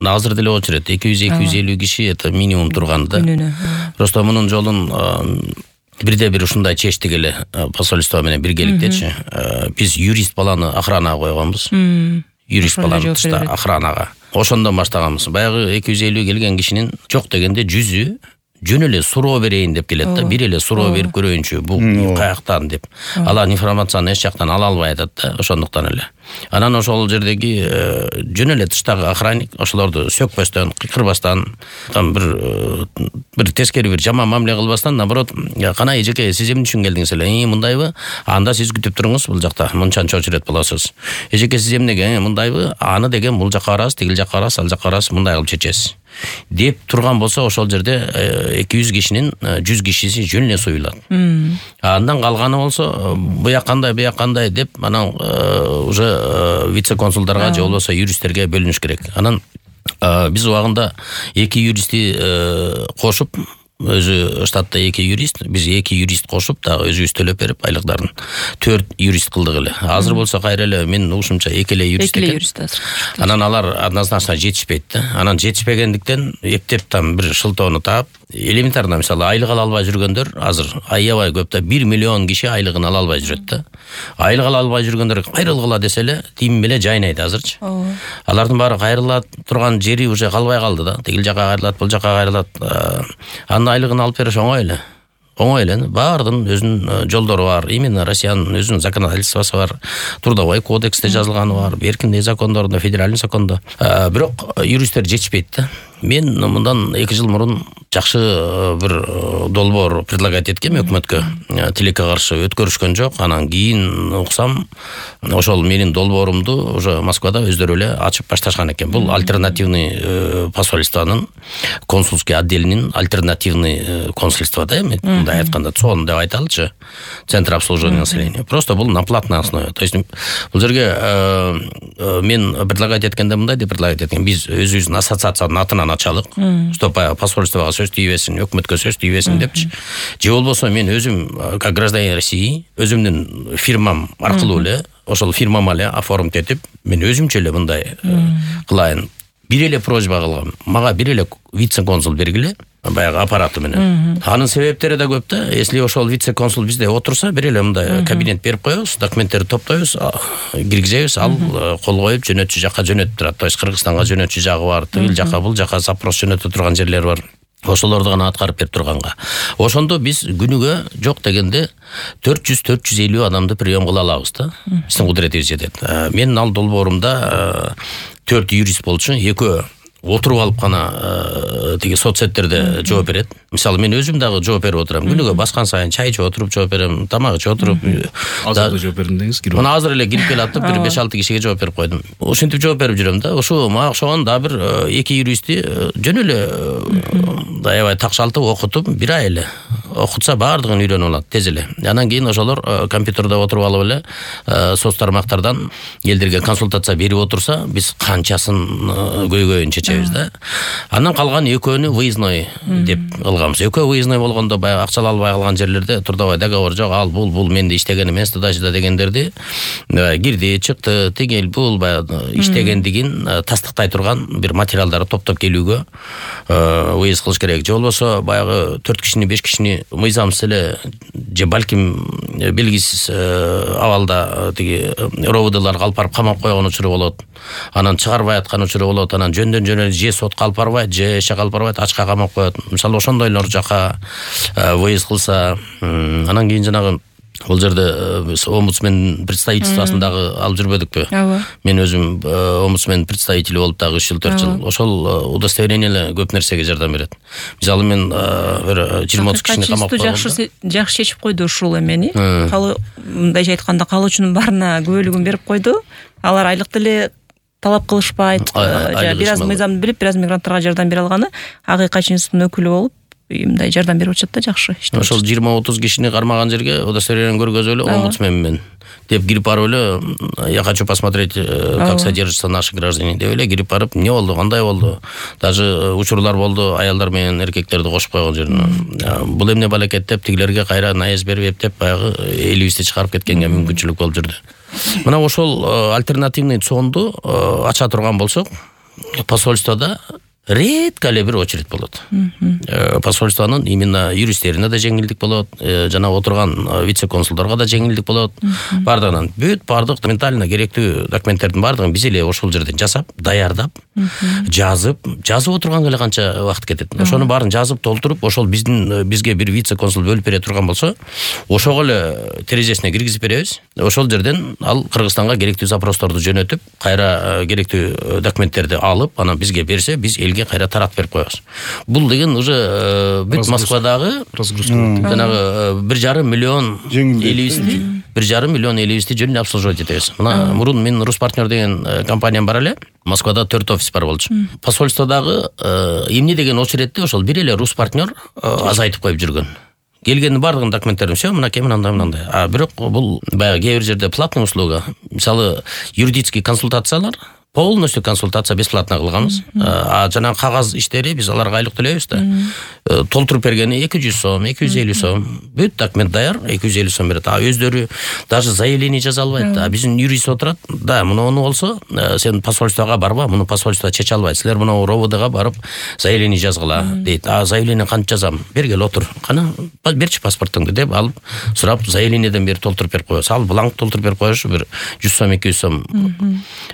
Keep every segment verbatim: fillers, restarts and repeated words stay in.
азыр деле болчу эрет. эки жүз эки жүз элүү киши это минимум турган да. Просто мунун жолун бирде бир ушундай чечтик эле посольство менен биргеликтечи. Биз юрист баланы охранага койгонбуз. Юрист баланы тышта охранага. Ошондон баштаганбыз. Баягы эки жүз элүү келген кишинин жок дегенде жүзү жөн эле суроо берейин деп келет да. Бир эле суроо берип көрөйүнчү, бул каяктан деп. Алар информацияны эч жактан ала албай атат да, ошондуктан эле. Анан ошол жердеги жөн эле тыштагы охранник ошолорду сөкпөстөн, кыйкырбастан, бир бир тескери бир жаман мамиле кылбастан, наоборот, кана эжеке, сиз эмне үчүн келдиңиз эле? Э, мындайбы? Анда сиз күтүп туруңуз, бул жакта мынчанча очередь болосуз. Эжеке, сиз эмнеге? Мындайбы? Аны деген бул жакка барасыз, тигил жакка барасыз, ал жакка барасыз, мындай кылып чечесиз деп турган болсо, ошол жерде эки жүз кишинин жүз кишиси жөн эле суюлат. Андан калганы болсо, буяк кандай, буяк кандай деп, анан уже вице-консулдарга же болбосо юристтерге бөлүнүш керек. Анан биз убагында эки юристти кошуп, өзү штатта эки юрист, биз эки юрист кошуп, дагы өзүбүз төлөп берип айлыктарын төрт юрист кылдык эле. Азыр болсо кайра эле мен ушунча эки эле юрист экен. Эки эле юрист азыр. Анан алар однозначно жетишпейт да. Анан жетишпегендиктен эптеп там бир шылтоону таап, элементарно мисалы айлык ала албай жүргөндөр азыр аябай көп да, бир миллион киши айлыгын ала албай жүрөт да. Айлык ала албай жүргөндөр кайрылгыла десе эле тим эле жайнайт азырчы. Алардын баары кайрыла турган жери уже калбай калды да. Тигил жакка кайрылат, бул жакка кайрылат. Анын айлыгын алып бериш оңой эле. Оңой эле. Баардын өзүнүн жолдору бар. Именно Россиянын өзүнүн законодательствосу бар. Трудовой кодексте жазылганы бар. Эркиндик закондорунда, федеральный закондо. Бирок юристтер жетишпейт да. Мен мындан эки жыл мурун жакшы бир долбоор предлагать эткем өкмөткө. Тилекке каршы өткөрүшкөн жок. Анан кийин уксам, ошол менин долбоорумду уже Москвада өздөрү эле ачып башташкан экен. Бул альтернативный посольствонун консульский отделинин альтернативный консульство да, мындай айтканда цон деп айталычы. Центр обслуживания населения. Просто бул на платной основе. То есть бул жерге мен предлагать эткенде мындай деп предлагать эткем. Биз өзүбүздүн ассоциациянын атынан ачалык, чтобы посольствого сөз тийбесин, өкмөткө сөз тийбесин депчи. Же болбосо мен өзүм как гражданин России, өзүмдүн фирмам аркылуу эле, ошол фирмама эле оформить этип, мен өзүмчө эле мындай кылайын. Бир эле просьба кылгам. Мага бир эле вице-консул бергиле, баягы аппараты менен. Анын себептери да көп да. Если ошол вице-консул бизде отурса, бир эле мындай кабинет берип коебуз, документтерди топтойбуз, киргизебиз, ал кол коюп жөнөтчү жакка жөнөтүп турат. То есть Кыргызстанга жөнөтчү жагы бар, тигил жакка, бул жакка запрос жөнөтө турган жерлер бар. Ошолорду гана аткарып берип турганга. Ошондо биз күнүгө жок дегенде төрт жүз төрт жүз элүү адамды прием кыла алабыз да. Биздин кудуретибиз жетет. Менин ал долбоорумда төрт юрист болчу, экөө отуруп алып гана тиги соцсеттерде жооп берет. Мисалы мен өзүм дагы жооп берип отурам. Күнүгө баскан сайын чай ичип отуруп жооп берем, тамак ичип отуруп. Азыр жооп бердим деңиз, кирип. Мына азыр эле кирип келатып, бир беш алты кишиге жооп берип койдум. Ошентип жооп берип жүрөм да. Ошо мага окшогон да бир эки юристти жөн эле аябай такшалтып окутуп, бир ай эле окутса баардыгын үйрөнүп алат тез эле. Анан кийин ошолор компьютерде отуруп алып эле соц тармактардан элдерге консультация берип отурса, биз канчасын көйгөйүн чечебиз да. Андан калган экөөнү выездной деп кылганбыз. Экөө выездной болгондо баягы акча албай калган жерлерде трудовой договор жок, ал бул бул менде иштеген эмес тудачыда дегендерди кирди, чыкты, тигил бул баягы иштегендигин тастыктай турган бир материалдарды топтоп келүүгө выезд кылыш керек. Же болбосо баягы төрт кишини, беш кишини мыйзамсыз эле же балким белгисиз абалда тиги ровдлар алып барып камап койгон учуру болот. Анан чыгарбай аткан учуру болот. Анан жөндөн жөн же сотко алып барбайт, же эшекке алып барбайт, ачка камап коет. Мисалы ошондойлор жака выезд кылса, анан кийин жанагы бул жерде омбудсмен представительствосундагы алып жүрбөдүкпү? Мен өзүм омбудсмен представители болуп дагы үч жыл, төрт жыл. Ошол удостоверение эле көп нерсеге жардам берет. Мисалы мен бир жыйырма отуз кишини камап койгондо жакшы жакшы чечип койду ушул эмени. Калы мындайча айтканда калуучунун баарына күбөлүгүн берип койду. Алар айлык деле талап кылышпайт. Бир аз мыйзамды билип, бир аз мигранттарга жардам бере алганы акыйкатчы институттун өкүлү болуп мындай жардам берип атат да, жакшы. Ошол жыйырма отуз кишини кармаган жерге удостоверение көргөзүп эле омбудсмен менен деп кирип барып эле я хочу посмотреть, как содержатся наши граждане деп эле кирип барып, эмне болду, кандай болду. Даже учурлар болду, аялдар менен эркектерди кошуп койгон жерине. Бул эмне балекет деп тигилерге кайра наез берип эптеп баягы элибизди чыгарып кеткенге мүмкүнчүлүк болуп жүрдү. Мына ошол альтернативный цонду ача турган болсок, посольствода редко эле бир очередь болот. Посольствонун именно юристтерине да жеңилдик болот, жана отурган вице-консулдарга да жеңилдик болот. Бардыгынан бүт бардык документально керектүү документтердин бардыгын биз эле ошол жерден жасап, даярдап, жазып, жазып отурганга эле канча убакыт кетет. Ошонун баарын жазып толтуруп, ошол биздин бизге бир вице-консул бөлүп бере турган болсо, ошого эле терезесине киргизип беребиз. Ошол жерден ал Кыргызстанга керектүү запросторду жөнөтүп, кайра керектүү документтерди алып, анан бизге берсе, биз элге кайра таратып берип коебуз. Бул деген уже бүт Москвадагы жанагы бир жарым миллион элибизди, бир жарым миллион элибизди жөн эле обслуживать этебиз. Мына мурун мен Рус партнер деген компаниям бар эле. Москвада төрт офис бар болчу. Посольстводагы эмне деген очередти ошол бир эле Рус партнер азайтып коюп жүргөн. Келгендин бардыгын документтерин все мынакей мынандай мынандай. А бирок бул баягы кээ бир жерде платный услуга. Мисалы юридический консультациялар полностью консультация бесплатно кылганбыз. А жана кагаз иштери биз аларга айлык төлөйбүз да. Толтуруп бергени эки жүз сом, эки жүз элүү сом. Бүт документ даяр, эки жүз элүү сом берет. А өздөрү даже заявление жаза албайт. А биздин юрист отурат. Да, муну болсо, сен посольствого барба, муну посольство чече албайт. Силер муну РОВДга барып заявление жазгыла дейт. А заявление кантип жазам? Бергел отур. Кана берчи паспортуңду деп алып, сурап заявлениеден бери толтуруп берип коебуз. Ал бланк толтуруп берип коюш, бир жүз сом, эки жүз сом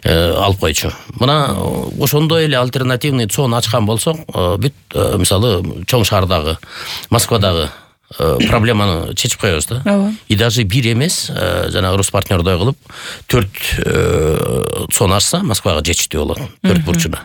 алып койчу. Мына ошондой эле альтернативный цон ачкан болсок, бүт мисалы чоң шаардагы, Москвадагы проблеманы чечип коебуз да. И даже бир эмес, жанагы Рус партнердой кылып төрт цон ачса, Москвага жетиштүү болот. Төрт бурчуна.